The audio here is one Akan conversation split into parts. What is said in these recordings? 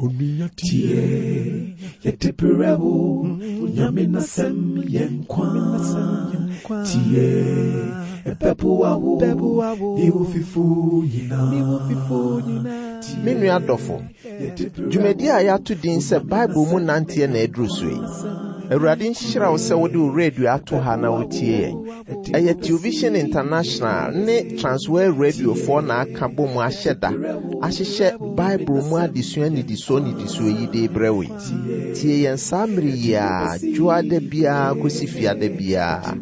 Onua tie, yɛde brɛ wo, Nyame n'asɛm yɛ nkwa. Tie, ɛbɛboa wo, ne wo fifo nyinaa. Me nua dɔfo, dwumadi a yɛato din sɛ Bible mu nanteɛ na aduru so yi. Awurade nhyira wo sɛ wode wo radio ato ha na wotie yɛn. Ɛyɛ Television International ne Transworld Radiofoɔ na aka bɔ mu ahyɛ da ahyehyɛ Bible mu adesua nnidisoɔ nnidisoɔ yi de rebrɛ wo yi. Tie yɛn saa mmere yi ara, dwoada biara kɔsi fiada biara,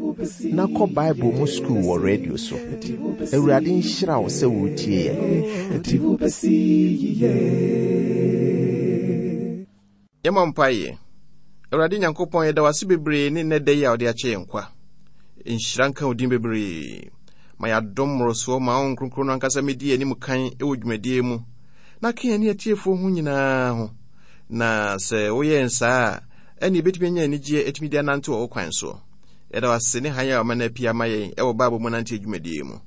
na kɔ Bible mu sukuu wɔ radio so. Awurade nhyira wo sɛ woretie yɛn. Yɛmmɔ mpaeɛ. Awurade Nyankopɔn, yɛda wo ase bebree ne nnɛ da yi a wode akyɛ yɛn kwa. Nhyira nka wo din bebree. Ma yɛadom mmorosoɔ ma wo nkronkron no ankasa mɛdi yɛn anim kan wɔ dwumadie mu na ka yɛn ne atiefoɔ ho nyinaa ho. Na sɛ woyɛ yɛn saa a, ɛne yɛbɛtumi anya anigyeɛ atumi de anante wɔ wo kwan soɔ. Yɛda wo ase ne hann a wama no apue ama yɛn wɔ Bible mu nante adwumadie mu.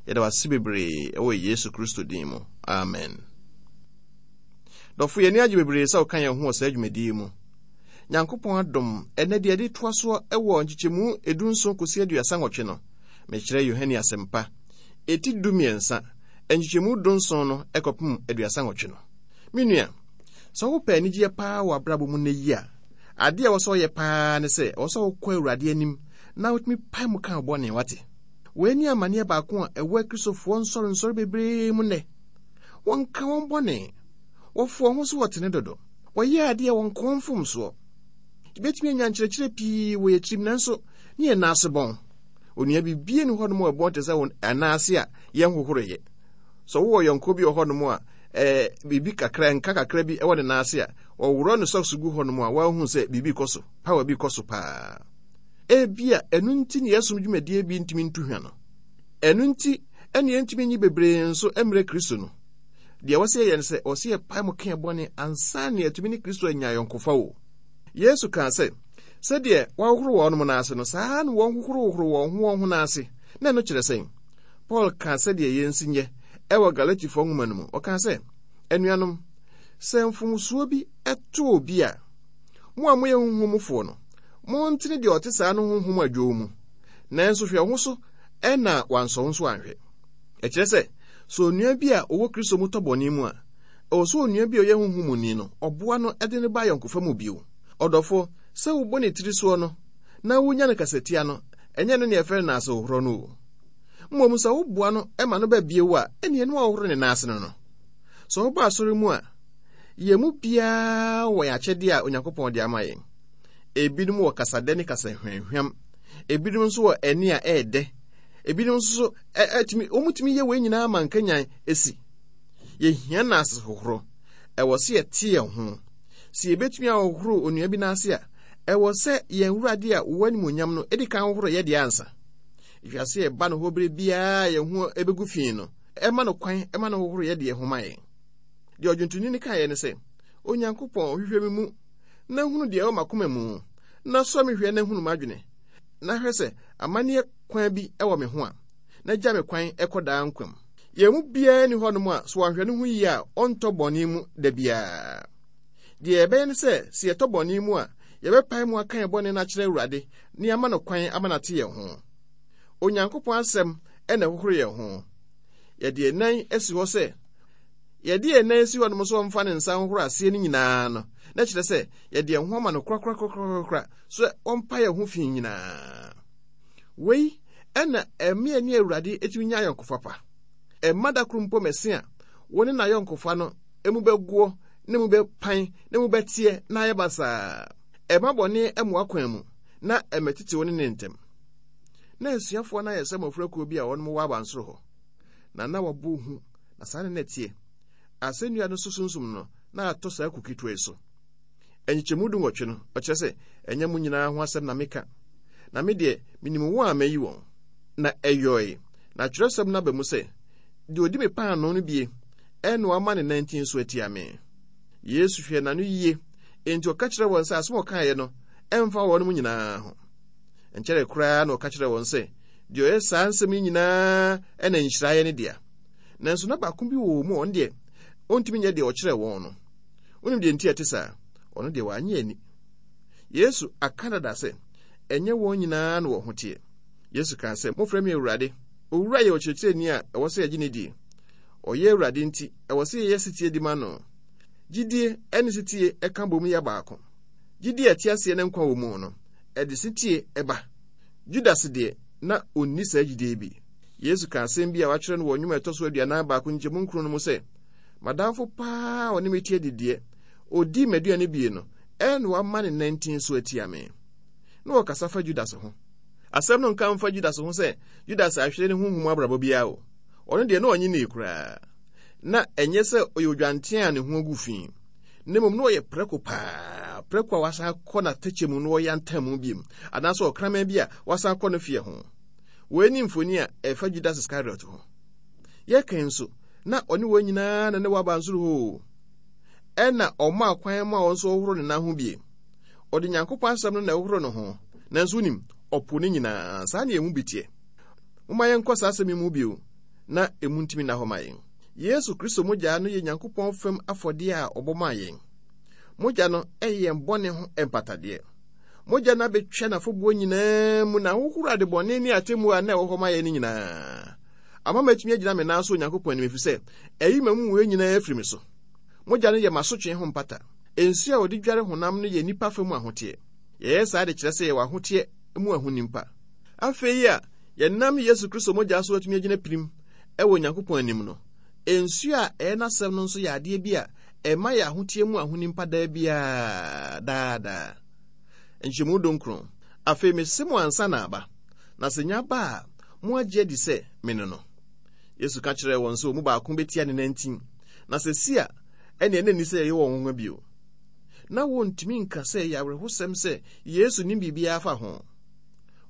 Yɛda wo ase bebree wɔ Yesu Kristo din mu. Amen. Dɔfo, yɛn ani agye bebree sɛ woka yɛn ho wɔ saa dwumadi yi mu. Nyankopɔn adom, ɛnnɛ deɛ yɛde toa soɔ wɔ nkyekyɛmu edunson kɔsi 38 no, mekyerɛ Yohane Asɛmpa, eti 13, nkyekyɛmu dunson no kɔpem 38 no. Me nua, sɛ wopɛ anigyeɛ paa wɔ abrabɔ mu nnɛ yi a, adeɛ a ɛwɔ sɛ ɔyɛ paa ne sɛ ɛwɔ sɛ wokɔ Awurade anim na wotumi pae mu ka wo bɔne, wate? Wei ne amanneɛ baako a ɛwɔ Akristofoɔ nsɔrensɔre bebree mu nnɛ. Wɔnka wɔn bɔne. Wɔfo wɔn ho so wɔtene dodo. Wɔyɛ adeɛ a wɔnka wɔn mfomsoɔ. Yɛbɛtumi anya nkyerɛkyerɛ pii wɔ yɛn tirim nanso ne yɛn nan ase bɔn. Onua bibie ni hɔnom a ɛbɔn te sɛ wɔn nan ase a yɛnhohoroeɛ. Sɛ wowɔ yɔnko bi wɔ hɔnom a ɛɛ biribi kakra nka kakra bi wɔ ne nan ase a, ɔworɔ ne socks gu hɔnom a wahu sɛ biribi kɔ so, power bi kɔ so paa. Ebia ɛno nti ne yɛsom dwumadie bi ntumi ntu hwa no. Ɛno nti ɛne yɛntumi nyi bebree nso mmerɛ Kristo no. Deɛ ɛwɔ sɛ yɛyɛ no sɛ, ɛwɔ sɛ yɛpae mu ka yɛn bɔne ansa na yɛatumi ne Kristo anya ayɔnkofa o. Yesu kaa sɛ, sɛdeɛ wɔahohoro wɔn nan ase no, saa ara na wɔnhohorohohoro wɔn ho wɔn ho nan ase. Na ɛno kyerɛ sɛn? Paul kaa sɛdeɛ yɛnsi nyɛ ɛwɔ Galatifoɔ nwoma no mu. Ɔkaa sɛ, Anuanom, sɛ mfomsoɔ bi to obi a, mo a moyɛ honhom mufoɔ no, montene deɛ ɔte saa no honhom adwow mu. Nanso hwɛ wo ho so na wansɔ wo nso anhwɛ. Ɛkyerɛ sɛ, sɛ onua bi a ɔwɔ Kristo mu tɔ bɔne mu a, ɛwɔ sɛ onua bi a ɔyɛ honhom muni no, ɔboa no de no ba ayɔnkofa mu bio. Ɔdɔfo, sɛ wobɔ ne tiri soɔ no na wunya no kasatia no, ɛnyɛ ɛno na yɛfrɛ no naasehohorɔ no o. Mmom sɛ woboa no ma no ba bio a, ɛnneɛ na woahohoro ne nan ase no no. Sɛ woba asɔre mu a, yɛn mu biara wɔ yɛn akyɛdeɛ a Onyankopɔn de ama yɛn. Ebinom wɔ kasadɛ ne kasa hwamhwam. Ebinom nso wɔ ɛnne a ɛyɛ dɛ. Ebinom nso so ɛtumi wɔtumi yɛ wɔn nyinaa ma nkanyan esi. Yɛhia n'ase hohoro. Ɛwɔ sɛ yɛte yɛn ho. Sɛ yɛbɛtumi ahohoro onua bi n'ase a, ɛwɔ sɛ yɛn Awurade a ɔwɔ animuonyam no di kan hohoro yɛ deɛ ansa. Ɛhwɛ sɛ yɛba no hɔ berɛ biara yɛn ho ɛbɛgu fi no, ɛma no kwan ma no hohoro yɛ deɛ ho ma yɛn. Deɛ ɔdwontoni no kaeɛ ne sɛ, Onyankopɔn, hwehwɛ me mu na hunu deɛ ɛwɔ m'akoma mu, na sɔ me hwɛ na hunu m'adwene, na hwɛ sɛ amanneɛ kwan bi wɔ me ho a, na gya me kwan kɔ daa nkwa mu. Yɛn mu biara nni hɔnom a sɛ wanhwɛ ne ho yie a ɔntɔ bɔne mu da biara. Deɛ yɛbɛyɛ ne sɛ, sɛ yɛtɔ bɔne mu a, yɛbɛpae mu aka yɛn bɔne no akyerɛ Awurade na yɛama no kwan ama no ate yɛn ho. Onyankopɔn asɛm na ɛhohoro yɛn ho. Yɛde yɛn nan asi hɔ sɛ yɛde yɛn nan asi hɔnom sɛ ɔmfa ne nsa nhohoro aseɛ no nyinaa no, na kyerɛ sɛ yɛde yɛn ho ama no korakorakorakora sɛ ɔmpa yɛn ho fi nyinaa. Wei ɛna ɛme ne Awurade tumi nya ayɔnkofa pa. Ɛmma da koro mpo mɛse a wo ne n'ayɔnkofa no emu bɛgoɔ na emu bɛpan na emu bɛteɛ na ayɛ basaa. Ɛmma bɔne mmoa kwan mu na ɛmmɛtete wo ne ne ntam. Na asuafoɔ no ayɛ sɛ mmɔfra kuo bi a wɔnom wɔ abansoro hɔ, na na wɔbɔ hu, na saa na na ɛteɛ. Asɛnnua no so sunsum no na atɔ saa kuo ketewa yi so. Nkyekyɛmu 18 no, ɔkyerɛ sɛ, Ɛnyɛ mo nyinaa ho asɛm na meka, na me deɛ, menim wɔn a mayi wɔn. Na ɛyɔe, na twerɛsɛm no aba mu sɛ, Deɛ ɔdi me paanoo no bie, ɛna wama ne nantin so atia me. Yesu hwɛɛ n'ano yie, enti ɔka kyerɛɛ wɔn sɛ asɛm a ɔkaeɛ no ɛmfa wɔnom nyinaa ho. Nkyɛree koraa na ɔka kyerɛɛ wɔn sɛ, Deɛ ɔyɛ saa nsɛm yi nyinaa na nhyira yɛ ne dea. Nanso na baako bi wɔ wɔn mu a ɔno deɛ, ɔntumi nyɛ deɛ ɔkyerɛɛ wɔn no. Wonim deɛ nti a ɛte saa? Ɔno deɛ wanyɛ ani. Yesu aka dada sɛ, ɛnyɛ wɔn nyinaa na wɔn ho teɛ. Yesu kaa sɛ, Mofrɛ me Awurade. Owura yɛ ɔkyerɛkyerɛni a ɛwɔ sɛ yɛgye no die. Ɔyɛ Awurade nti, ɛwɔ sɛ yɛyɛ setie di ma no. Gyidie ne setie ka bom yɛ baako. Gyidie a ɛte aseɛ na nkwa wɔ mu no, ɛde setie ba. Judas deɛ, na ɔnni saa gyidie yi bi. Yesu kaa asɛm bi a wɔatwerɛ no wɔ Nnwom a ɛtɔ so 41 nkyɛmu nkron no mu sɛ, M'adamfo paa a ɔne me te adidiɛ, ɔdii m'aduane bie no, ɛna wama ne nantin so atia me. Na ɔkasa fa Judas ho. Asɛm no nka mfa Judas ho sɛ Judas ahwere ne honhom mu abrabɔ biara o. Ɔno deɛ na ɔnye nnii koraa. Na ɛnyɛ sɛ ɔyɛ odwanten a ne ho agu fi, na mmom na ɔyɛ prɛko paa, prɛko a wasan akɔ n'atɛkyɛ mu na ɔyantam mu biom, anaasɛ ɔkraman bi a wasan akɔ ne feɛ ho. Wei ne mfoni a ɛfa Judas Iscariot ho. Yɛka yi nso, na ɔne wɔn nyinaa na ne wɔ abansoro hɔ o. Ɛna ɔmaa kwan ma wɔn nso wɔhoro ne nan ho bie. Ɔde Nyankopɔn asɛm no na ɛhohoro ne ho, nanso wonim, ɔpo ne nyinaa. Saa na yɛn mu bi teɛ. Momma yɛnkɔ saa asɛm yi mu bio na emu ntumi nna hɔ ma yɛn. Yesu Kristo mogya no yɛ Nyankopɔn fam afɔdeɛ a ɔbɔ maa yɛn. Mogya no yɛ yɛn bɔne ho mpatadeɛ. Mogya no abɛtwa n'afɔbuo nyinaa mu na ahohoro adebɔne ne atemmuo a na ɛwɔ hɔ ma yɛn no nyinaa. Ama matumi agyina me nan so Onyankopɔn anim ɛfiri sɛ ayi m'amumuyɛ nyinaa afiri me so. Mogya no yɛ m'asotwe ho mpata. Nsuo a wɔde dware honam no yɛ nnipa fa mu ahoteɛ. Yɛyɛ saa de kyerɛ sɛ yɛwɔ ahoteɛ mu ahonim pa. Afei a yɛnam Yesu Kristo mogya so atumi agyina pirim wɔ Onyankopɔn anim no, nsuo a ɛyɛ n'asɛm no nso yɛ adeɛ bi a ɛma yɛ ahoteɛ mu ahonim pa daa biara, daa daa. Nkyɛmu dunkron. Afei mese mo ansa na aba, na sɛ nya ba a, moagye adi sɛ mene no. Yesu ka kyerɛɛ wɔn sɛ wɔn mu baako bɛtia ne nantin, na sɛ si a, ɛnneɛ na ɛnni sɛ yɛyɛ wɔn nwonwa bio. Na wɔntumi nka sɛ ɛyɛ awerɛhosɛm sɛ Yesu nim biribiara fa ho.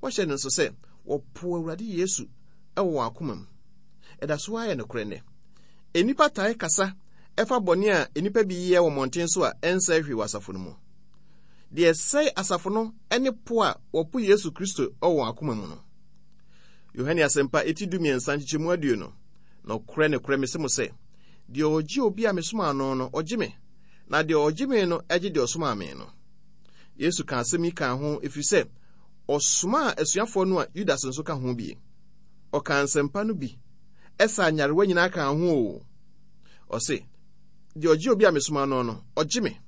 Wɔhyɛ no nso sɛ wɔpoo Awurade Yesu wɔ wɔn akoma mu. Ɛda so ara yɛ nokorɛ nnɛ. Nnipa tae kasa ɛfa bɔne a nnipa bi yɛ wɔ mmɔnten so a ɛnsɛe hwee wɔ asafo no mu. Deɛ ɛsɛe asafo no ne po a wɔpo Yesu Kristo wɔ wɔn akoma mu no. Yohane Asɛmpa eti 13 nkyekyɛmu 20. Nokorɛ, nokorɛ, mese mo sɛ, deɛ ɔgye obi a mesomaa no no, ɔgye me, na deɛ ɔgye me no gye deɛ ɔsomaa me no. Yesu kaa asɛm yi kaa ho ɛfiri sɛ ɔsomaa asuafoɔ no a Yudas nso ka ho bi. Ɔkaa nsɛmpa no bi, ɛsaa nyarewa nyinaa kaa ho o. Ɔse, deɛ ɔgye obi a mesoma no no, ɔgye me,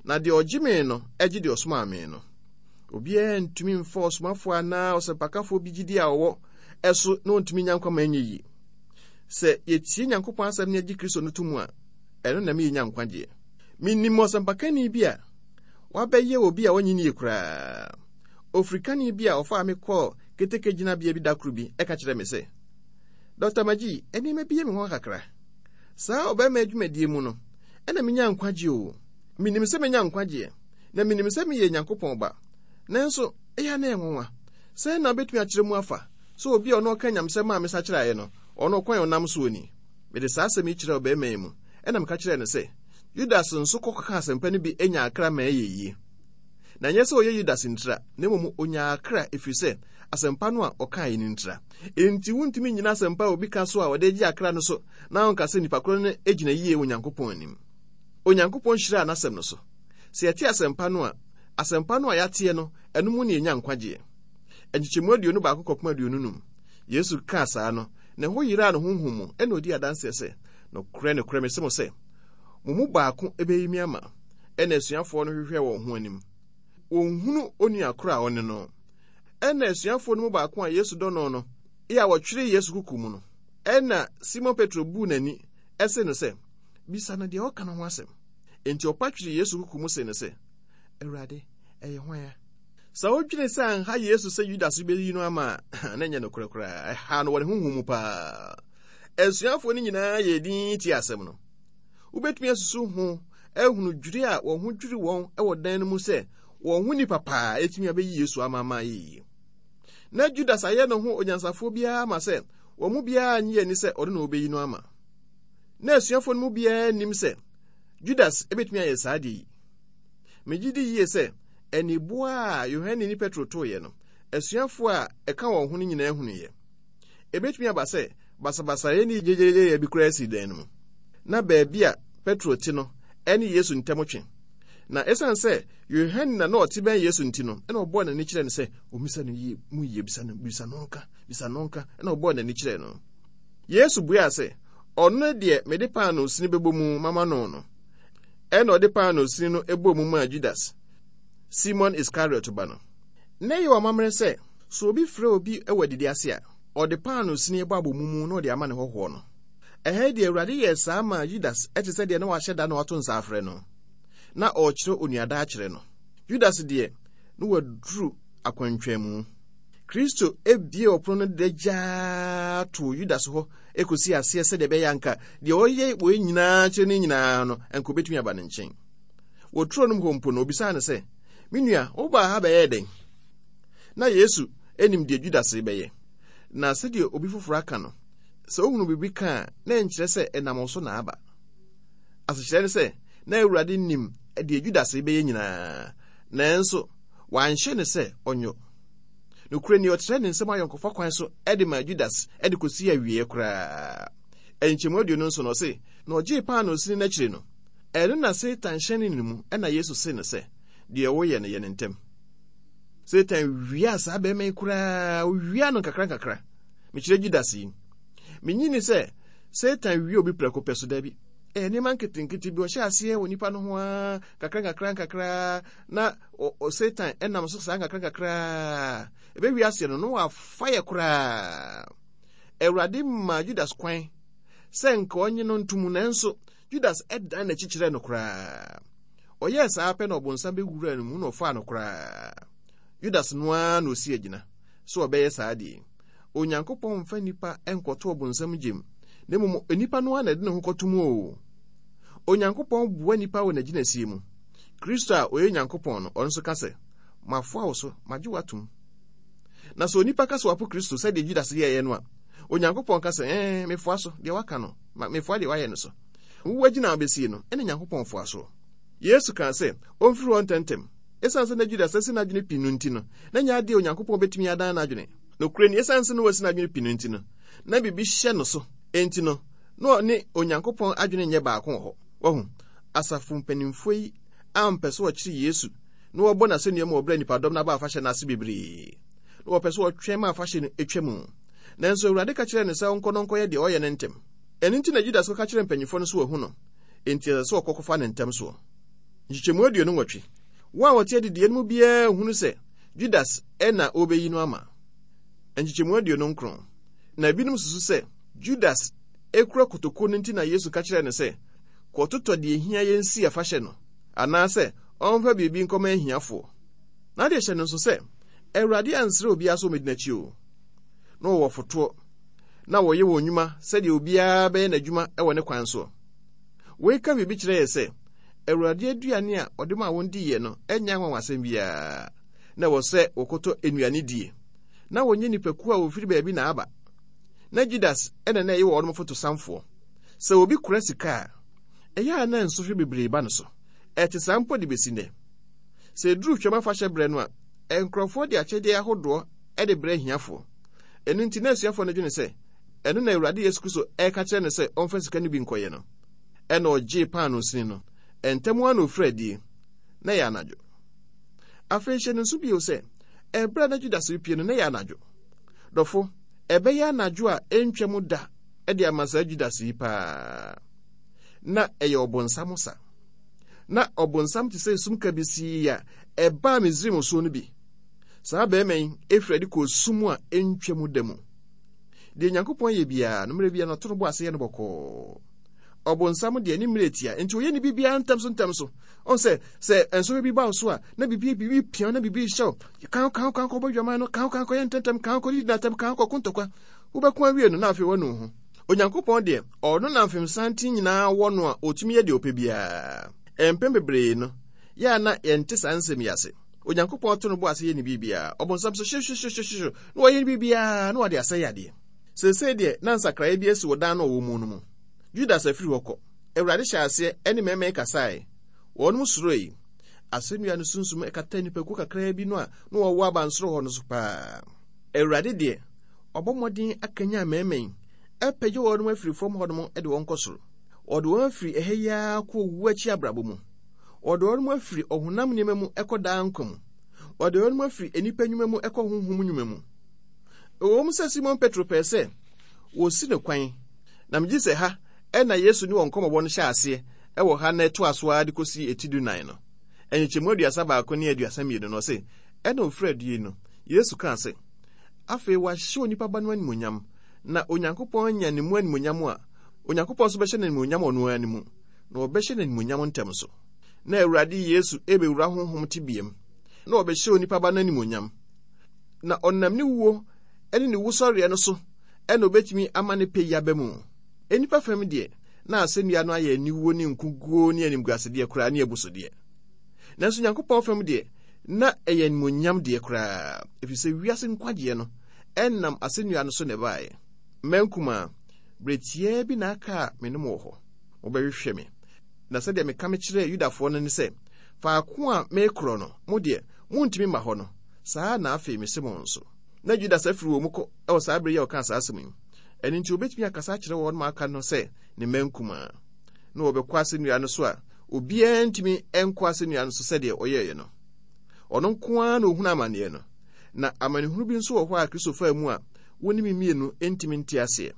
na deɛ ɔgye me no gye deɛ ɔsomaa me no. Obiara ntumi mfa ɔsomafoɔ anaa ɔsɛmpakafoɔ bi gyidie a ɔwɔ ɛso na ɔntumi nya nkwa ma ɛnyɛ yie. Sɛ yɛtie Nyankopɔn asɛm na yɛgye Kristo no to mu a, ɛno na ɛma yɛnya nkwagyeɛ. Menim ɔsɛmpakani bi a wabɛyɛ obi a ɔnye nie koraa. Ofirikani bi a ɔfaa me kɔɔ keteke gyinabea bi da koro bi ka kyerɛɛ me sɛ, Dɔkta Magee, nneɛma bi yɛ me nwanwa kakra. Saa ɔbarima yi dwumadie mu no, ɛna menya nkwagyeɛ o. Menim sɛ menya nkwagyeɛ, na menim sɛ meyɛ Nyankopɔn ba. Nanso, ɛyɛ a na ɛyɛ nwanwa. Sɛn na wobɛtumi akyerɛ mu afa sɛ obi a ɔno ɔka nyamesɛm a mesakyeraeɛ no, ɔno ɔkwan a ɔnam soɔ ni? Mede saa asɛm yi kyerɛɛ ɔbarima yi mu, ɛna meka kyerɛɛ no sɛ, Yudas nso kɔkɔkaa asɛmpa no bi nyaa akra ma ɛyɛ yie. Na ɛnyɛ sɛ ɔyɛ Yudas ntira, na mmom ɔnyaa akra ɛfiri sɛ asɛmpa no a ɔkaeɛ no ntira. Enti wontumi nnyina asɛmpa a obi ka so a ɔde gye akra no so na ɔnka sɛ nipa korɔ no gyina yie wɔ Onyankopɔn anim. Onyankopɔn hyiraa n'asɛm no so. Sɛ yɛte asɛmpa no a, asɛmpa no a yɛateɛ no, ɛno mu na yɛnya nkwagyeɛ. Nkyekyɛmu 21 kɔpem 25. Yesu kaa saa no, ne ho yeraa no honhom mu, ɛna ɔdii adanseɛ sɛ, Nokorɛ, nokorɛ, mese mo sɛ, mo mu baako bɛyi me ama. Ɛnna asuafoɔ no hwehwɛɛ wɔn ho anim. Wɔnhunu onua korɔ a ɔne no. Ɛnna asuafoɔ no mu baako a Yesu dɔ no no, a wɔtweree Yesu kuku mu no, ɛnna Simon Petro buu n'ani see no sɛ, Bisa no deɛ ɔka no ho asɛm. Enti ɔpa tweree Yesu kuku mu see no sɛ, Awurade, ɛyɛ hwan a? Sɛ wodwene sɛ anha Yesu sɛ Yudas beyi no ama a, na ɛnyɛ nokorɛ koraa. Ɛhaa no wɔ ne honhom mu paa. Asuafoɔ no nyinaa yɛɛ dinn tiee asɛm no. Wobɛtumi asusu ho ahunu dwiri a wɔn ho dwiri wɔn wɔ dan no mu sɛ wɔn ho nipa paa atumi abɛyi Yesu ama ama ayɛ yie. Na Judas ayɛ ne ho onyansafoɔ biara ma sɛ wɔn mu biara nnye ani sɛ ɔno na ɔbɛyi no ama. Na asuafoɔ no mu biara nnim sɛ Judas bɛtumi ayɛ saa adeɛ yi. Megye di yie sɛ aniboa a Yohane ne Petro toeɛ no, asuafoɔ a ɛka wɔn ho no nyinaa hunuiɛ. Ebetumi aba sɛ basabasayɛ ne gyegyeegyeyɛ bi koraa sii dan no mu. Na baabi a Petro te no ne Yesu ntam twe. Na esiane sɛ Yohane na na ɔte bɛn Yesu nti no, ɛna ɔbɔɔ n'ani kyerɛɛ no sɛ ommisa no yie mu yie, bisa no, bisa no nka, bisa no nka, ɛna ɔbɔɔ n'ani kyerɛɛ no. Yesu buaa sɛ, Ɔno ne deɛ mede paanoo sini bɛbɔ mu mama no no. Ɛna ɔde paanoo sini no bɔɔ mu maa Judas, Simon Iskariot ba no. Na ɛyɛ wɔn amammerɛ sɛ, sɛ obi frɛ obi wɔ adidi ase a, ɔde paanoo sini bɔ abɔmu mu na ɔde ama ne hɔhoɔ no. Ɛha yi deɛ, Awurade yɛɛ saa maa Judas te sɛ deɛ na wahyɛ da na wato nsa afrɛ no. Na ɔrekyerɛ onuadaa akyerɛ no. Judas deɛ, na waduru akwantwɛnmu. Kristo buee ɔpono no dagyaa too Judas hɔ kɔsii aseɛ sɛdeɛ ɛbɛyɛ anka deɛ ɔyɛ wei nyinaa kyerɛ no nyinaa no, anka ɔbɛtumi aba ne nkyɛn. Wɔ turo no mu hɔ mpo no, ɔbisaa no sɛ, Me nua, wobaa ha bɛyɛɛ dɛn? Na Yesu nim deɛ Judas rebɛyɛ. Na sɛdeɛ obi foforɔ aka no, sɛ wohunu biribi ka a, na ɛnkyerɛ sɛ ɛnam wo so na aba. Asekyerɛ ne sɛ, na Awurade nim deɛ Judas rebɛyɛ nyinaa, nanso wanhyɛ no sɛ ɔnyɔ. Nokorɛ ni, ɔkyerɛɛ ne nsam ayɔnkofa kwan so de maa Judas de kɔsii awieɛ koraa. Nkyɛmu 27 no, ɔse, Na ɔgyee paanoo sini no akyiri no, ɛno na Satan hyɛnee ne mu, ɛna Yesu see no sɛ, Deɛ woyɛ no, yɛ no ntɛm. Satan wiaa saa bɛrima yi koraa, ɔwiaa no nkakra nkakra. Mekyerɛ Judas yi. Menyi ni sɛ Satan wie obi prɛko pɛ so, dabi. Ɛyɛ nneɛma nketenkete bi, ɔhyɛ aseɛ wɔ nipa no ho ara, kakra nkakra nkakra, na Satan ɛnam so saa nkakra nkakra. Ɛbɛwie aseɛ no, na wafa yɛ koraa. Awurade maa Judas kwan sɛ nka ɔnye no ntom, nanso Judas dan n'akyi kyerɛɛ no koraa. Ɔyɛɛ saa pɛ na ɔbonsam bɛwuraa no mu na ɔfaa no koraa. Judas no ara na ɔsi agyina sɛ ɔbɛyɛ saa adeɛ yi. Onyankopɔn mfa nnipa nkɔto ɔbonsam gyem, na mmom nnipa no ara na ɛde ne ho kɔto mu o. Onyankopɔn boa nnipa wɔ n'agyinasie mu. Kristo a ɔyɛ Nyankopɔn no, ɔno nso ka sɛ, Mafoa wo so, magye wo atom. Na sɛ onipa ka sɛ wapo Kristo sɛdeɛ Judas yɛeɛ no a, Onyankopɔn ka sɛ, Ɛɛ, mefoa so, deɛ waka no, mefoa deɛ wayɛ no so. Wo agyina a wobɛsie no, ɛne Nyankopɔn foa soɔ. Yesu kaa sɛ ɔmfiri hɔ ntɛmntɛm. Esiane sɛ na Judas asi n'adwene pi no nti no, na ɛnyɛ adeɛ a Onyankopɔn bɛtumi adan n'adwene. Nokorɛ ni, esiane sɛ na wasi n'adwene pi no nti no, na biribi hyɛ no so. Enti no, na ɔne Onyankopɔn adwene nyɛ baako wɔ hɔ. Wahu? Asafo mpanimfoɔ yi ampɛ sɛ wɔkyere Yesu na wɔbɔ no asɛnnua mu wɔ berɛ a nnipadɔm no aba afahyɛ no ase bebree. Na wɔpɛ sɛ wɔtwɛn ma afahyɛ no twa mu. Nanso Awurade ka kyerɛɛ no sɛ ɔnkɔ na ɔnkɔyɛ deɛ ɔyɛ no ntɛm. Ɛno nti na Judas kɔka kyerɛɛ mpanyimfoɔ no sɛ wahu no, enti ɛsɛ sɛ ɔkɔ kɔfa no ntɛm soɔ. Nkyekyɛmu 28. Wɔn a wɔte adidiiɛ no mu biara nhunu sɛ Judas na ɔrebɛyi no ama. Nkyekyɛmu 29. Na ebinom susu sɛ Judas kura kotokuo no nti na Yesu ka kyerɛɛ no sɛ, Kɔtotɔ deɛ ɛhia yɛn si afahyɛ no, anaasɛ ɔmfa biribi nkɔma ahiafoɔ. Na adeɛ hyɛ no nso sɛ, Awurade ansrɛ obiara sɛ ɔmmɛdi n'akyi o. Na wɔwɔ fotoɔ, na wɔyɛ wɔn nnwuma sɛdeɛ obiara bɛyɛ n'adwuma wɔ ne kwan soɔ. Wei ka biribi kyerɛ yɛ sɛ, Awurade aduane a ɔde maa wɔn diiɛ no nyɛ anwanwasɛm biara. Na ɛwɔ sɛ wɔkɔtɔ nnuane die. Na wɔnyɛ nnipakuo a wɔfiri baabi na aba. Na Judas na na ɛyɛ wɔn fotosanfoɔ. Sɛ obi kura sika a, ɛyɛ a na nsɔhwɛ bebree ba no so. Ɛte saa mpo de bɛsi nnɛ. Sɛ ɛduru Twam afahyɛ berɛ no a, nkurɔfoɔ de akyɛdeɛ ahodoɔ de brɛ ahiafoɔ. Ɛno nti na asuafoɔ no dwene sɛ ɛno na Awurade Yesu Kristo reka kyerɛ no sɛ ɔmfa sika no bi nkɔyɛ no. Ɛnna ɔgyee paanoo sini no. Ntɛm ara na ɔfirii adie. Na ɛyɛ anadwo. Afei hyɛ no nso bio sɛ, ɛberɛ a na Judas repue no, na ɛyɛ anadwo. Dɔfo, ɛbɛyɛ anadwo a ɛntwam da de ama saa Judas yi paa. Na ɛyɛ ɔbonsam sa. Na ɔbonsam te sɛ esum kabisii a ɛbaa Misraim soɔ no bi. Saa barima yi firi adi kɔɔ sum a ɛntwam da mu. Deɛ Nyankopɔn yɛ biara no, mmerɛ biara no ɔto no bo ase yɛ no bɔkɔɔ. Ɔbonsam deɛ ne mmerɛ tia, nti ɔyɛ ne biribiara ntɛm so ntɛm so. Ɔn sɛ, sɛ nsɔhwɛ bi ba wo so a, na biribi biribi pia na biribi hyɛ wo. Kan kan kan kɔ bɔ dwaman no, kan kan kɔyɛ ntɛntɛm, kan kɔ didi n'atɛm, kan kɔ ko ntɔkwa. Wobɛko awie no, na afei wanu wo ho. Onyankopɔn deɛ, ɔno na mfemsanten nyinaa wɔ no a ɔtumi yɛ deɛ ɔpɛ biara. Mpɛn bebree no, yɛ a na yɛnte saa nsɛm yi ase. Onyankopɔn to no bo ase yɛ ne biribiara. Ɔbonsam nso hyehyehyehyehyehye na ɔyɛ ne biribiara na ɔde asɛe adeɛ. Seesei deɛ na nsakraeɛ bi asi wɔ dan no a ɔwɔ mu no mu. Judas afiri hɔ kɔ. Awurade hyɛɛ aseɛ ne mmarima yi kasaeɛ. Wɔnom suroe. Asɛnnua no sunsum kataa nnipakuo kakraa bi no a na wɔwɔ abansoro hɔ no so paa. Awurade deɛ, ɔbɔ mmɔden akanyan mmarima yi, apagya wɔnom afiri fam hɔnom de wɔn kɔ soro. Ɔde wɔn afiri ɛha yi ara kɔ owu akyi abrabɔ mu. Ɔde wɔn afiri ɔhonam nneɛma mu kɔ daa nkwa mu. Ɔde wɔn afiri nnipa nnwuma mu kɔ honhom nnwuma mu. Ɛwom sɛ Simon Petro pɛɛ sɛ wɔsi no kwan, na megye sɛ ha na Yesu ne wɔn nkɔmmɔbɔ no hyɛɛ aseɛ wɔ ha na ɛtoa so ara de kɔsi eti dunan no, nkyekyɛmu 31 ne 32 no, ɔse, Ɛnna ɔfiri adie no, Yesu kaa sɛ, Afei wɔahyɛ onipa Ba no animuonyam, na Onyankopɔn anya ne mu animuonyam a, Onyankopɔn nso bɛhyɛ no animuonyam ɔno ara ne mu, na ɔbɛhyɛ no animuonyam ntɛm so. Na Awurade Yesu rebɛwura honhom tebeam, na ɔbɛhyɛ onipa Ba no animuonyam. Na ɔnam ne wuo ne ne wusɔreɛ no so na ɔbɛtumi ama ne pɛ yi aba mu. Nnipa fam deɛ, na asɛnnua no ayɛ aniwuo ne nkoguo ne animguasedeɛ koraa ne abusudeɛ. Nanso Nyankopɔn fam deɛ, na ɛyɛ animuonyam deɛ koraa, ɛfiri sɛ wiase nkwagyeɛ no nam asɛnnua no so na ɛbaeɛ. Mma nkumaa, berɛ tiaa bi na aka a me ne mo wɔ hɔ. Mobɛhwehwɛ me. Na sɛdeɛ meka mekyerɛɛ Yudafoɔ no ne sɛ, faako a merekorɔ no, mo deɛ, montumi mma hɔ no, saa ara na afei mese mo nso. Na Judas afiri wɔn mu kɔ wɔ saa bere yi a ɔkaa saa asɛm yi. Ɛno nti, obetumi akasa akyerɛ wɔn a aka no sɛ ne mma nkumaa, na wɔbɛkɔ asɛnnua no so a obiara ntumi nkɔ asɛnnua no so sɛdeɛ ɔyɛeɛ no. Ɔno nko ara na ohunu amanneɛ no. Na amanehunu bi nso wɔ hɔ a Kristo faa mu a wo ne me mmienu ntumi nte aseɛ.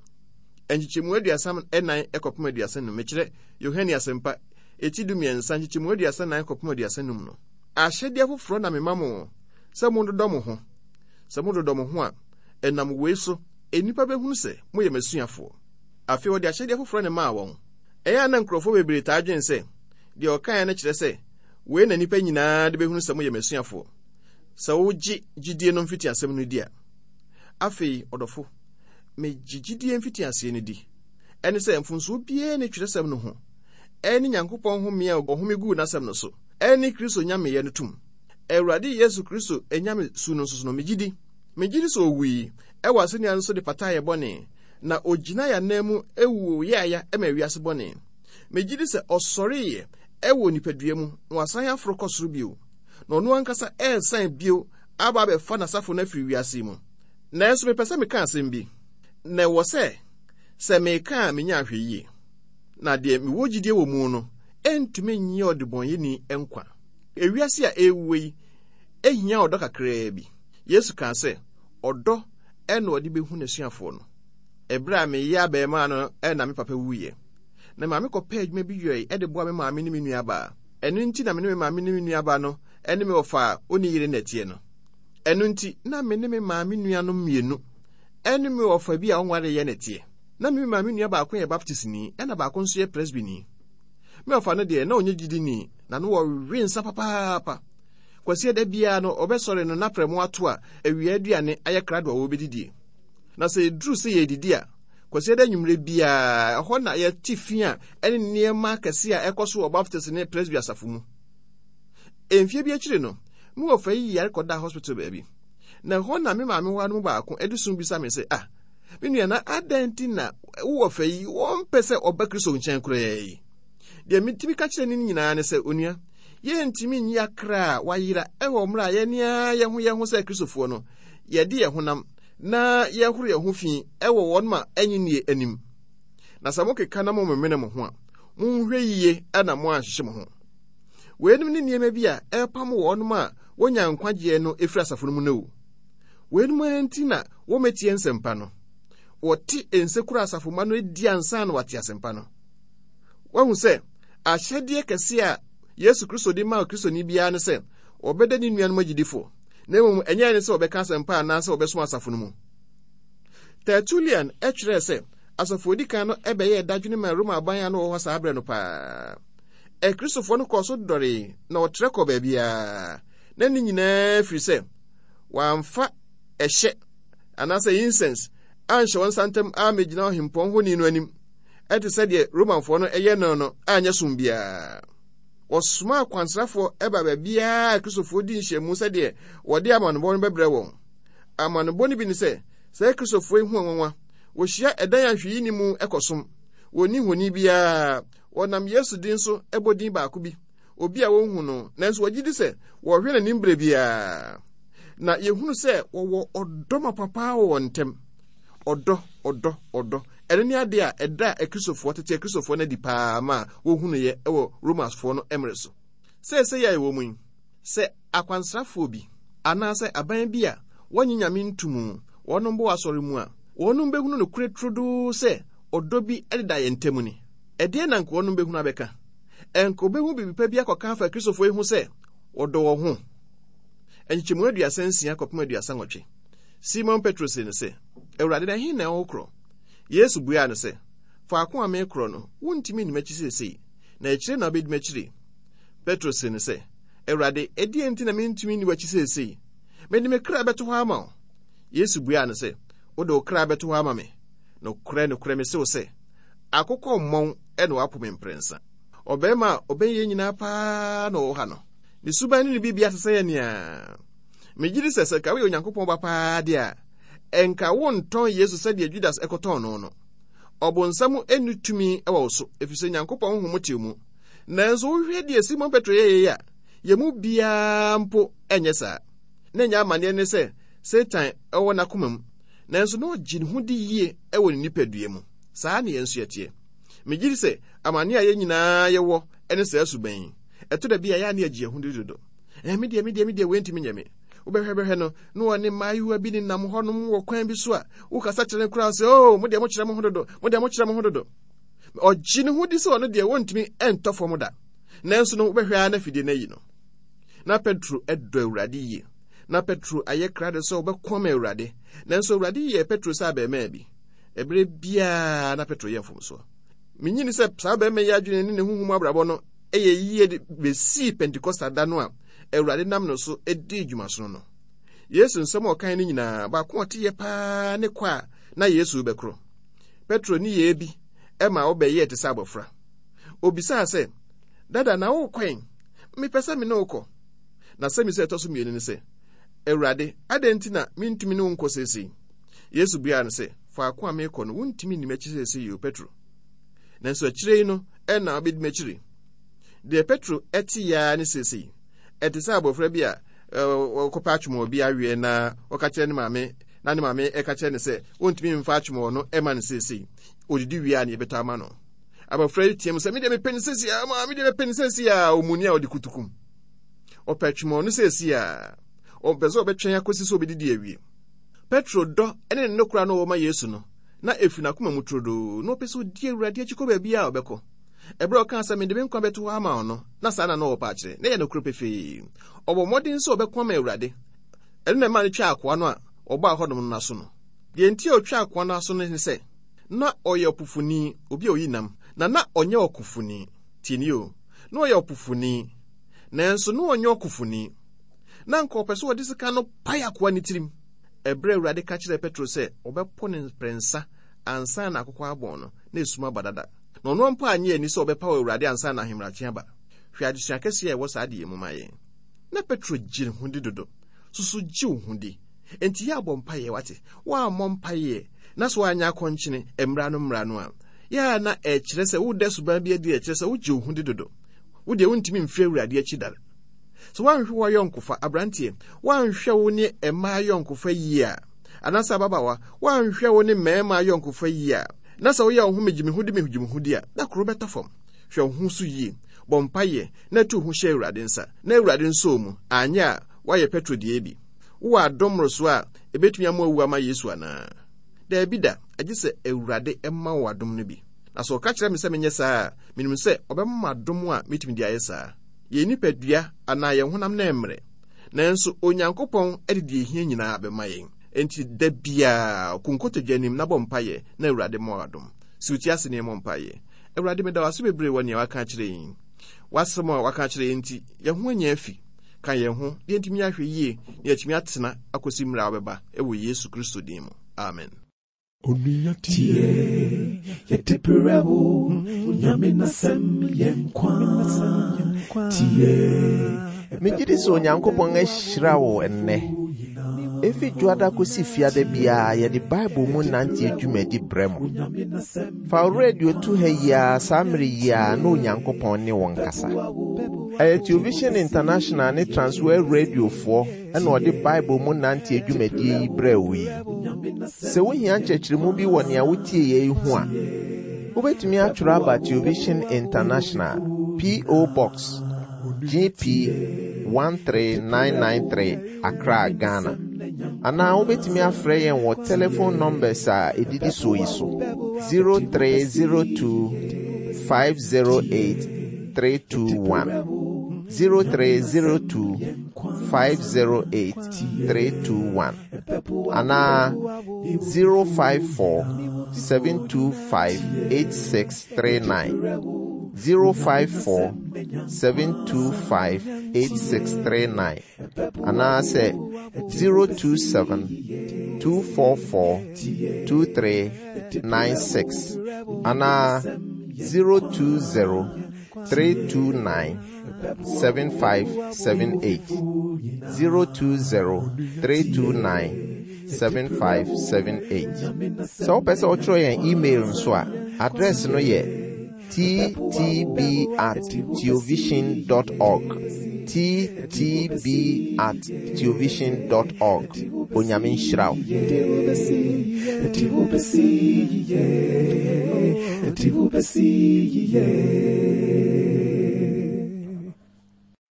Nkyekyɛmu 34 kɔpem 35, mekyerɛ Yohane Asɛmpa, eti 13, nkyekyɛmu 34 kɔpem 35 no. Ahyɛdeɛ foforɔ na mema mo, sɛ monnodɔ mo ho. Sɛ mododɔ mo ho a, ɛnam wei so nnipa bɛhunu sɛ moyɛ m'asuafoɔ. Afei ɔde ahyɛdeɛ foforɔ na ɛmaa wɔn. Ɛyɛ a na nkurɔfoɔ bebree taa dwen sɛ, deɛ ɔkaeɛ no kyerɛ sɛ, wei na nnipa nyinaa de bɛhunu sɛ moyɛ m'asuafoɔ, sɛ wogye gyidie no mfitiasɛm no di a. Afei, ɔdɔfo, megye gyidie mfitiaseɛ no di. Ɛne sɛ mfomsoɔ biara nni twerɛsɛm no ho, ɛne Nyankopɔn home a ɔhome guu n'asɛm no so, ɛne Kristo nyameyɛ no tom. Awurade Yesu Kristo nyamesu no nso so no, megye di. Megye di sɛ owui wɔ asennua no so de pataa yɛn bɔne, na ogyinaa yɛn ananmu wuu yaaya ma wiase bɔne. Megye di sɛ ɔsɔreeɛ wɔ nipadua mu na wasan aforo kɔ soro bio, na ɔno ankasa resan bio aba abɛfa n'asafo no afiri wiase yi mu. Nanso mepɛ sɛ meka asɛm bi, na ɛwɔ sɛ sɛ meka a menya ahwɛyie. Na deɛ mewɔ gyidie wɔ mu no ntumi nnye ɔdebɔneyɛni nkwa. Ewiase a ɛrewuo yi hia ɔdɔ kakraa bi. Yesu kaa sɛ ɔdɔ na ɔde bɛhu n'asuafoɔ no. Ɛberɛ a meyɛ abarimaa no na me papa wuiɛ. Na maame kɔpɛɛ adwuma bi yɔe de boa me maame ne me nuabaa. Ɛno nti na me ne me maame ne me nuabaa no ne me wɔfa a ɔnni yere na ɛteɛ no. Ɛno nti na me ne me maame nuanom mmienu ne me wɔfa bi a ɔnwareeɛ na ɛteɛ. Na me maame nua baako yɛ Baptistni ɛna baako nso yɛ Presbyni. Me ɔfa no deɛ, na ɔnyɛ gyidini, na no wɔwe nsa papaapa. Kwasiada biara no, ɔbɛsɔre no na prɛmo ato a awia aduane ayɛ krado a wɔbɛdidie. Na sɛ ɛduru sɛ yɛredidi a, Kwasiada anwummerɛ biara, ɛhɔ na yɛte fi a ɛne nneɛma akɛse a ɛkɔ so wɔ Baptist ne Presby asafo mu. Mfeɛ bi akyiri no, me wɔfa yi yare kɔdaa hospital baabi. Na ɛhɔ na me maame hɔ no mu baako de sum bisa me sɛ, ah, Me nua, na adɛn nti na wowɔ fɛ yi wɔmpɛ sɛ ɔba Kristo nkyɛn koraa yi? Deɛ metumi ka kyerɛ no nyinaa ne sɛ, onua, yɛntumi nyi akra a wayera wɔ mmerɛ a yɛne ara yɛn ho yɛn ho sɛ Kristofoɔ no, yɛde yɛn honam na yɛhoro yɛn ho fi wɔ wɔn ma ɛnye nnie anim. Na sɛ mokeka na momemene mo ho a, monhwɛ yie na moanhyehye mo ho. Weinom ne nneɛma bi a ɛrepam wɔn a wɔnya nkwagyeɛ no firi asafo no mu no o. Weinom ara nti na wɔmmɛtie nsɛmpa no. Wɔte nsekuro asafomma no di ansa na wɔate asɛmpa no. Wahu sɛ ahyɛdeɛ kɛse a Yesu Kristo de maa Kristoni biara ne sɛ ɔbɛda ne nuanom agyidifo, na mmom ɛnyɛ ne sɛ wɔbɛka asɛmpa anaasɛ wɔbɛsom asafo no mu. Tertullian kyerɛɛ sɛ asafo odi kan no bɛyɛɛ dadwene maa Roma aban a na wɔwɔ hɔ saa berɛ no paa. Akristofoɔ no kɔɔ so dɔree na wɔtrɛ kɔɔ baabiara, na ne nyinaa firi sɛ wɔamfa ɛhyɛ anaasɛ incense anhyɛ wɔn nsa ntam ammɛgyina ɔhempɔn honi no anim ɛte sɛ deɛ Romanfoɔ no yɛ no no anyɛ som biara. Wɔsomaa akwansrafoɔ ba baabiara a Kristofoɔ di nhyiamu sɛdeɛ wɔde amanobɔ no bɛbrɛ wɔn. Amanobɔ no bi ne sɛ, saa Kristofoɔ yi ho nwanwa, wɔhyia ɛdan a hwee nni mu kɔsom, wɔnni honi biara, wɔnam Yesu din so bɔ din baako bi, obi a wɔnhu no, nanso wɔgye di sɛ wɔhwɛ n'anim berɛ biara. Na yɛhunu sɛ wɔwɔ ɔdɔ mapa paa wɔ wɔn ntam. Ɔdɔ, ɔdɔ, ɔdɔ. Ɛno ne ade a ɛda Akristofoɔ, tete Akristofoɔ no adi paa ma wɔhunuiɛ wɔ Romafoɔ no mmerɛ so. Seesei a yɛwɔ mu yi, sɛ akwansrafoɔ bi anaasɛ aban bi a wɔnnye Nyame nto mu wɔnom bɔ asɔre mu a, wɔnom bɛhunu nokorɛ turodoo sɛ ɔdɔ bi deda yɛn ntam ni. Ɛdeɛn na anka wɔnom bɛhunu abɛka? Ɛnka wɔbɛhu biribi pa bi akɔka afa Akristofoɔ yi ho sɛ wɔdɔ wɔn ho. Nkyekyɛmu 36 kɔpem 38. Simon Petro see no sɛ, Awurade, na ɛhe na worekorɔ? Yesu buaa no sɛ, Faako a merekorɔ no, wuntumi nni m'akyi seesei, na akyire na wobedi m'akyiri. Petro see no sɛ, Awurade, ɛdeɛn nti na mintumi nni w'akyi seesei? Mede me kra bɛto hɔ ama wo. Yesu buaa no sɛ, Wode wo kra bɛto hɔ ama me? Nokorɛ, nokorɛ, mese wo sɛ, akokɔ mmɔn na woapo me mprɛnsa. Ɔbarima a ɔbɛn yɛn nyinaa paa na ɔwɔ ha no. Ne suban ne ne biribiara te sɛ yɛn nea. Megye di sɛ sɛ nka woyɛ Onyankopɔn ba paa de a, ɛnka wontɔn Yesu sɛdeɛ Judas kɔtɔn no no. Ɔbonsam nni tumi wɔ wo so, efisɛ Nyankopɔn honhom te wo mu. Nanso wohwɛ deɛ Simon Petro yɛeɛ a, yɛn mu biara mpo nyɛ saa. Na ɛnyɛ amanneɛ ne sɛ Satan wɔ n'akoma mu, nanso na ɔgye ne ho di yie wɔ ne nipadua mu. Saa na yɛn nso yɛteɛ. Megye di sɛ amanneɛ a yɛn nyinaa yɛwɔ ne saa suban yi. Ɛtɔ da bi a, ɛyɛ a na yɛgye yɛn ho di dodo. Eh, me deɛ, me deɛ, me deɛ, wei ntumi nyɛ me. Wobɛhwɛ bɛhwɛ no, na ɔne mmaayewa bi nenam hɔnom wɔ kwan bi so a, wokasa kyerɛ no koraa sɛ, oh, mo deɛ mokyerɛ mo ho dodo, mo deɛ mokyerɛ mo ho dodo. Ɔgye ne ho di sɛ ɔno deɛ wɔntumi ntɔ fam da. Nanso no, wobɛhwɛ ara na afidie no ayi no. Na Petro dɔ Awurade yie. Na Petro ayɛ krado sɛ ɔbɛko ama Awurade. Nanso Awurade yɛɛ Petro sɛ abarimaa bi. Ɛberɛ biara na Petro yɛ mfomsoɔ. Menyini sɛ saa barima yi adwene ne ne honhom abrabɔ no yɛ yie de bɛsii Pentekosta da no a Awurade nam no so dii dwumasono no. Yesu nsɛm a ɔkae no nyinaa, baako a ɔteyɛ paa ne kɔ a na Yesu rebɛkorɔ. Petro ne yɛɛ bi ma ɔbɛyɛɛ te sɛ abɔfra. Obisaa sɛ, Dada, na worekɔ ɛn? Mepɛ sɛ me ne wo kɔ. Na sɛmisa a ɛtɔ so mmienu ne sɛ, Awurade, adɛn nti na mentumi ne wo nkɔ seesei? Yesu buaa no sɛ, Faako a merekɔ no, wuntumi nni m'akyi seesei o, Petro. Nanso akyire yi no na wobɛdi m'akyiri. Deɛ Petro te yɛ ara ne seesei. Ɛte sɛ abɔfra bi a ɔkɔpɛ atwomɔɔ bi aweɛ na ɔka kyerɛ ne maame na ne maame ɛka kyerɛ no sɛ ɔntumi mfa atwomɔɔ no ɛma no seesei. Ɔdidi wie a ne yɛbɛtɔ ama no. Abɔfra yi team sɛ medeɛ mepɛ no seesei a, maa medeɛ mepɛ no seesei a, ɔmuni a ɔde kutukum. Ɔpɛ atwomɔɔ no seesei a, ɔmpɛ sɛ ɔbɛtwɛn akɔsi sɛ ɔbɛdidi awie. Petro dɔ ne ne nokora no ɔwɔ ma Yesu no, na efi n'akoma mu turodoo. Na ɔpɛ sɛ odi Awurade akyi kɔ baabiara a ɔbɛkɔ. Ɛberɛ a ɔkaa sɛ, Mede me nkwa bɛto hɔ ama wo no, na saa na na ɔrepɛ akyerɛ. Na ɛyɛ nokorɛ pefee. Ɔbɔɔ mmɔden sɛ ɔbɛko ama Awurade. Ɛno na ɛmaa no twaa akoa no a ɔbaa hɔnom no aso no. Deɛ enti a ɔtwaa akoa no aso no ne sɛ, na ɔyɛ ɔpofoni, obi a ɔyi nam, na na ɔnyɛ ɔkofoni. Tie nie o, na ɔyɛ ɔpofoni, nanso na ɔnyɛ ɔkofoni. Na anka ɔpɛ sɛ ɔde sika no pae akoa no tirim. Ɛberɛ a Awurade ka kyerɛɛ Petro sɛ ɔbɛpo no mprɛnsa ansa na akokɔ abɔn no, na esum aba dada. Na ɔno mpo annye anni sɛ ɔbɛpaw Awurade ansa na ahemadakye aba. Hwɛ adesua kɛse a ɛwɔ saa adeyɛ mu ma yɛn! Na Petro gye ne ho di dodo. Susu gye wo ho di. Enti yɛ a bɔ mpaeɛ, wate? Woammɔ mpaeɛ na sɛ woanyɛ akɔnkyene mmara no mmara no a, yɛ a na ɛkyerɛ sɛ woda suban bi adi a ɛkyerɛ sɛ wogye wo ho di dodo. Wo deɛ wontumi mfiri Awurade akyi da. Sɛ woanhwɛ w'ayɔnkofa, aberanteɛ, woanhwɛ wo ne mmaa ayɔnkofa yie a, anaasɛ ababaawa, woanhwɛ wo ne mmarima ayɔnkofa yie a, na sɛ woyɛ wo ho megye me ho di megye me ho di a, da koro bɛtɔ fam. Hwɛ wo ho so yie, bɔ mpaeɛ, na tu wo ho hyɛ Awurade nsa, na Awurade nsɔ wo mu, anyɛ a, woayɛ Petro deɛ bi. Wowɔ adom mmorosoɔ a ɛbɛtumi ama woawu ama Yesu anaa? Daabi da, agye sɛ Awurade ma wo adom no bi. Na sɛ ɔka kyerɛ me sɛ menyɛ saa a, menim sɛ ɔbɛma me adom a mɛtumi de ayɛ saa. Yɛn nipadua anaa yɛn honam no ɛmmrɛ, nanso Onyankopɔn de deɛ ɛhia nyinaa bɛma yɛn. Enti da biara, kɔ nkotodwe anim na bɔ mpaeɛ na Awurade mmɔ wo adom. Si wo ti ase na yɛmmɔ mpaeɛ. Awurade, meda wo ase bebree wɔ nea woaka akyerɛ yɛn yi. W'asɛm a woaka akyerɛ yɛn nti, yɛn ho anya afi. Ka yɛn ho na yɛntumi ahwɛ yie na yɛatumi atena akɔsi mmerɛ a wobɛba wɔ Yesu Kristo din mu. Amen. Onua tie, yɛde brɛ wo, Onyame n'asɛm yɛ nkwa. Tie. Megye di sɛ Onyankopɔn ahyira wo nnɛ. Efi Dwoada kosi Fiada biara yɛde Bible mu nante dwumadi brɛ mo. Fa wo radio to ha yi ara saa mmere yi ara na Onyankopɔn ne wo nkasa. Ɛyɛ Television International ne Transworld Radiofoɔ na ɔde Bible mu nante dwumadie yi brɛɛ wo yi. Sɛ wohia nkyerɛkyerɛmu bi wɔ nea wotie yɛ yi ho a, wobɛtumi atwerɛ aba Television International, P.O. Box GP 13993 Accra, Ghana. Anaa wobɛtumi afrɛ yɛn wɔ telephone numbers a ɛdidi soɔ yi so: 0302 508 321, 0302 508 321, anaa 054 725 8639, 054 725 8639, anaasɛ 027 244 2396, anaa 020 329 7578, 020 329 7578. Sɛ wopɛ sɛ wotwerɛ yɛn email nso a, address no yɛ ttb@theovision.org, ttb@theovision.org. Onyame nhyira wo.